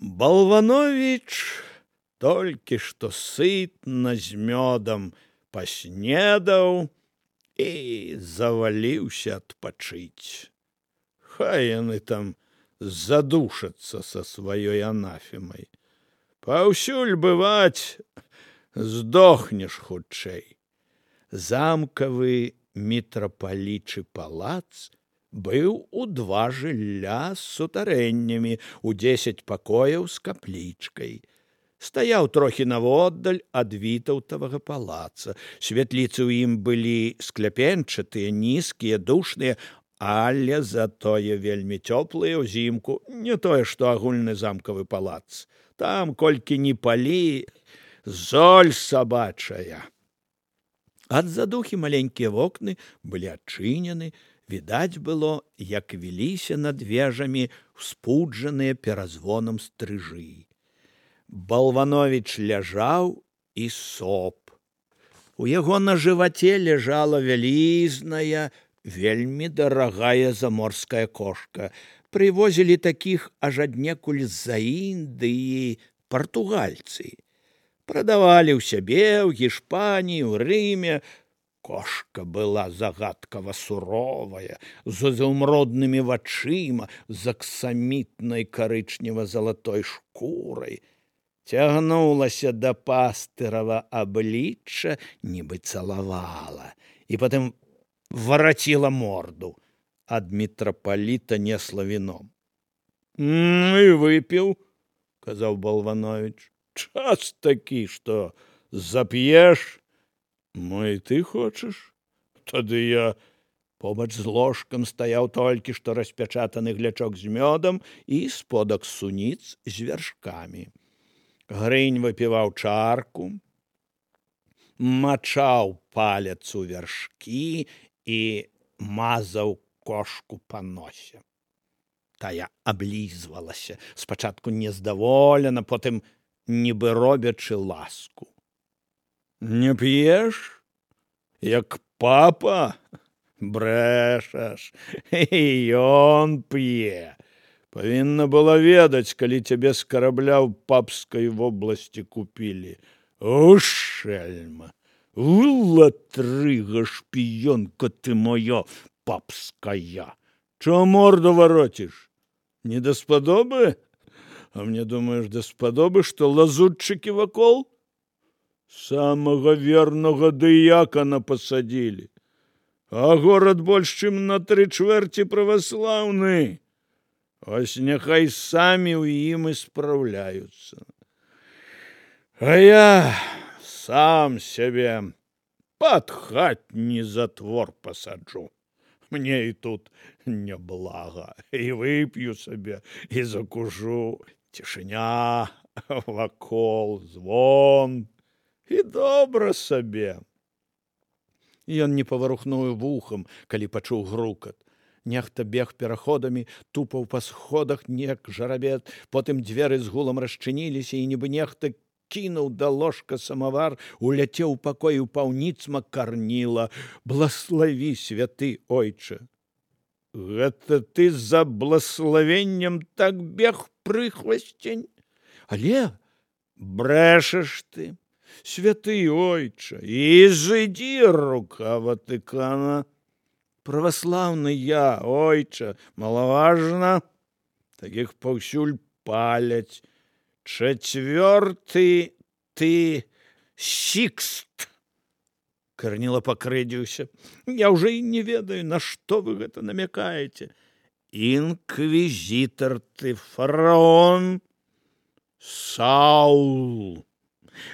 Балванович толькі што сытна з мёдам паснедаў і заваліўся адпачыць. Хай яны там задушацца са сваёй анафемай. Паўсюль бываць, здохнеш хутчэй. Замкавы мітрапалічы палац быў у 2 жылля з сутарэннямі у 10 пакояў з каплічкай. Стаяў трохі наводдаль ад вітаўтавага палаца. Святліцы ў ім былі скляпенчатыя, нізкія, душныя, але затое вельмі цёплыя ўзімку, не тое, што агульны замкавы палац. Там, колькі ні палі, золь сабачая. Ад задухі маленькія вокны былі адчынены, відаць было, як віліся над вежамі ўспуджаныя перазвонам стрыжы. Балванович ляжаў і соп. У яго на жываце ляжала вялізная, вельмі дарагая заморская кошка. Прывозілі такіх аж аднекуль з-за Індыі партугальцы. Прадавалі ў сябе, ў Гішпаніі, ў Рыме. Кошка была загадкава суровая, з изумруднымі вачыма, з аксамітнай карычнева-залатой шкурай. Цягнулася да пастырава аблічча, нібы цалавала, і потым вараціла морду. Ад мітрапаліта несла віном. І выпіў, казаў Балванович. Час такі, што зап'еш. Ну і ты хочаш? Тады я... Побач з ложкам стаяў толькі што распячатаны глячок з мёдам і сподак суніц з вяршкамі. Грынь выпіваў чарку, мачаў палец у вяршкі і мазаў кошку па носе. Тая аблізвалася, спачатку нездаволена, потым нібы робячы ласку. Не п'еш? Як папа? Брэшаш, і ён п'е. Павінна была ведаць, калі цябе з карабля ў папскай вобласці купілі. У, шельма! У, латрыга, шпіёнка ты моя папская! Чого морду варотіш? Не даспадобы? А мне думаеш, даспадобы, што лазутчыкі вакол? Самага вернага дыякана пасадзілі. А горад больш, чым на 3/4 праваслаўны. Ось няхай самі ў ім і спраўляюцца. А я сам сябе пад хатні затвор пасаджу. Мне і тут няблага. І вып'ю сабе, і закужу. Цішыня, вакол, звон. І добра сабе. Ён не паварухнуў вухам, калі пачуў грукат. Нехта бег пераходамі, тупаў па сходах неяк жарабет, потым дзверы з гулам расчыніліся, і нібы нехта кінуў да ложка самавар, уляцеў у пакой, упаў ніцма Карніла. Блаславі, святы ойча! Гэта ты за блаславеннем так бег, прыхвасцень? Але брэшаш ты, святы ойча, і зыдзі, рука Ватыкана. Праваслаўны я, ойча, малаважна. Такіх паўсюль паляць. 4 ты Сікст. Карніла пакрыдзіўся. Я ўжо і не ведаю, на што вы гэта намякаеце. Інквізітар ты, фараон. Саул.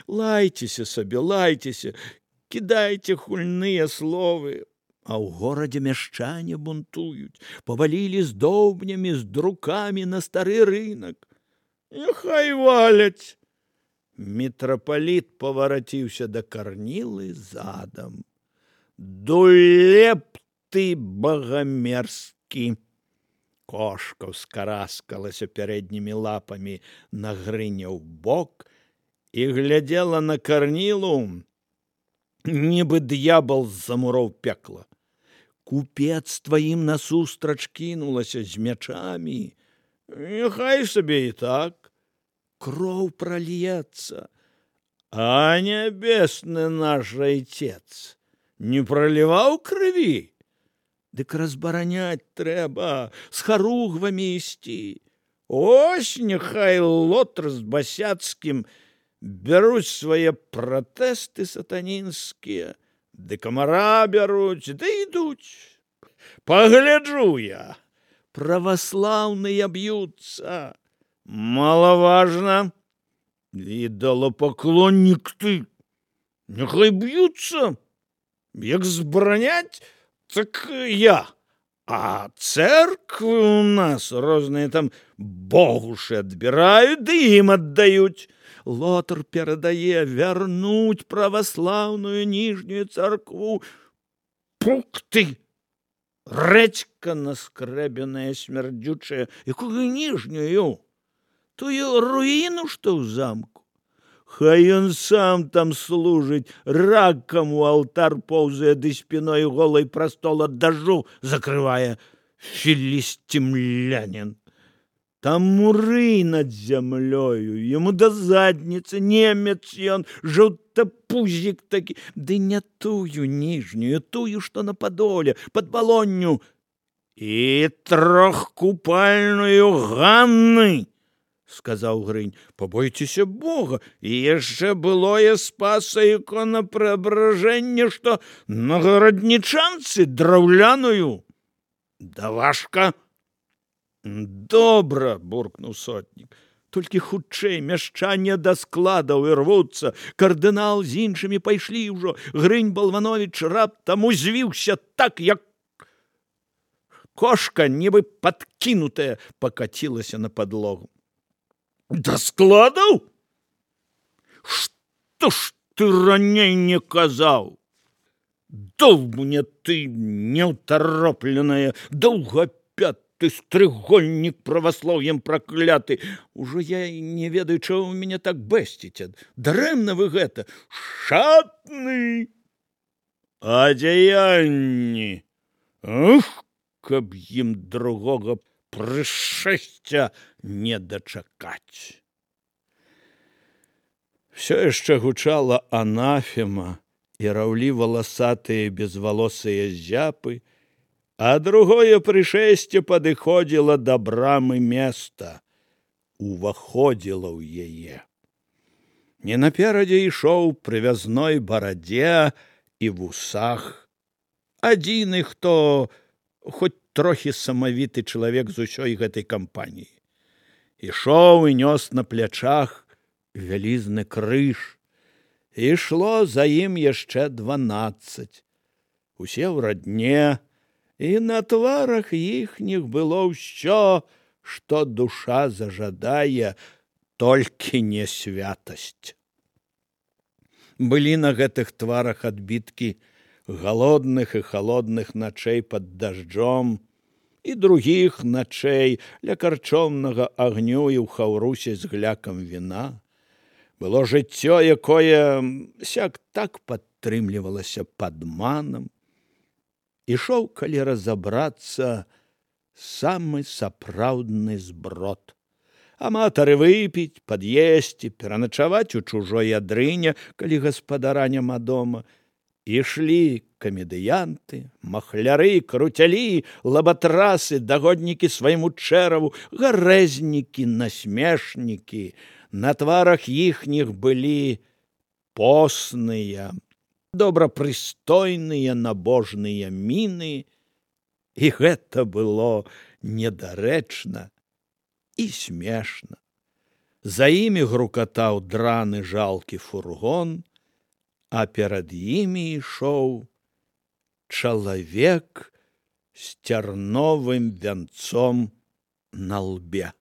Лайцеся сабе, лайцеся, кідайце хульныя словы. А ў горадзе мяшчане бунтуюць, павалілі з доўбнямі, з друкамі на стары рынак. Няхай валяць. Мітрапаліт павараціўся да Карнілы задам. Дулеп ты, багамерзкі. Кошка ўскараскалася пярэднімі лапамі на грыня ў бок і глядзела на Карнілу, нібы д'ябал з-за муроў пекла. Купец тваім насустрач кінулася з мячамі. Няхай сабе і так. кроў прольецца. А нябесны наш Отец не проліваў крыві? Дык разбараняць трэба, з харугвамі ісці. Ось няхай Лотар з Басяцкім бяруць свае пратэсты сатанінскія, ды камара бяруць, ды ідуць. Пагляджу я, праваслаўныя б'юцца. Малаважна. Ідолапаклоннік ты. Няхай б'юцца. Як збараняць, так я. А церквы у нас розныя там богушы адбіраюць, ды ім аддаюць. Лотар перадае вярнуць праваслаўную ніжнюю царкву. Пук ты! Рэдзька наскрэбеная, смярдзючая. Якую ніжнюю? Тую руіну, што ў замку. Хай ён сам там служыць, ракам у алтар поўзае, ды спіной голай прастол ад дажджу закрывае. Філістімлянін. Там муры над зямлёю, яму да задніцы, немец ён, жоўтапузік такі. Ды не тую ніжнюю, тую, што на падоле, пад балонню. І трохкупальную Ганны, сказаў Грынь. Пабойцеся Бога, і яшчэ былое спаса іконапрэабражэнне, што на гараднічанцы драўляную. Да важка. Добра, буркнуў сотнік. Толькі хутчэй, мяшчане да складаў ірвуцца. Кардынал з іншымі пайшлі ўжо. Грынь Балванович раптам узвіўся так, як кошка, нібы падкінутая, пакацілася на падлогу. Да складаў? Што ж ты раней не казаў? Дол мне ты, неўтаропленая, доўгапяты стрыгольнік праваслаўем пракляты. Ужо я не ведаю, чаго вы мяне так бэсціце. Дарэмна вы гэта. Шатны! А дзеянні? Ах, каб ім другога прышэсця не дачакаць. Всё яшчэ гучала анафема і раўлі валасатыя безвалосыя зяпы, а другое прышэсце падыходзіла да брамы места, уваходзіла ў яе. Не наперадзе ішоў прывязной барадзе і вусах. Адзіны, хто хоць трохі самавіты чалавек з усёй гэтай кампаніі. Ішоў і нёс на плячах вялізны крыж. Ішло за ім яшчэ 12. Усе ў радне, і на тварах іхніх было ўсё, што душа зажадае, толькі не святасць. Былі на гэтых тварах адбіткі голодных і халодных начэй пад дажджом і другіх начэй ля карчомнага агню і ў хаўрусе з глякам віна. Было жыццё, якое сяк так падтрымлівалася падманам. Ішоў, калі разабрацца, самы сапраўдны зброд. Аматары выпіць, пад'есці, пераначаваць у чужой адрыне, калі гаспадара няма дома. Ішлі камедыянты, махляры, круцялі, лабатрасы, дагоднікі свайму чэраву, гарэзнікі, насмешнікі. На тварах іхніх былі посныя, добрапрыстойныя, набожныя міны, і гэта было недарэчна і смешна. За імі грукатаў драны жалкі фургон, а перад імі ішоў чалавек з цярновым вянцом на лбе.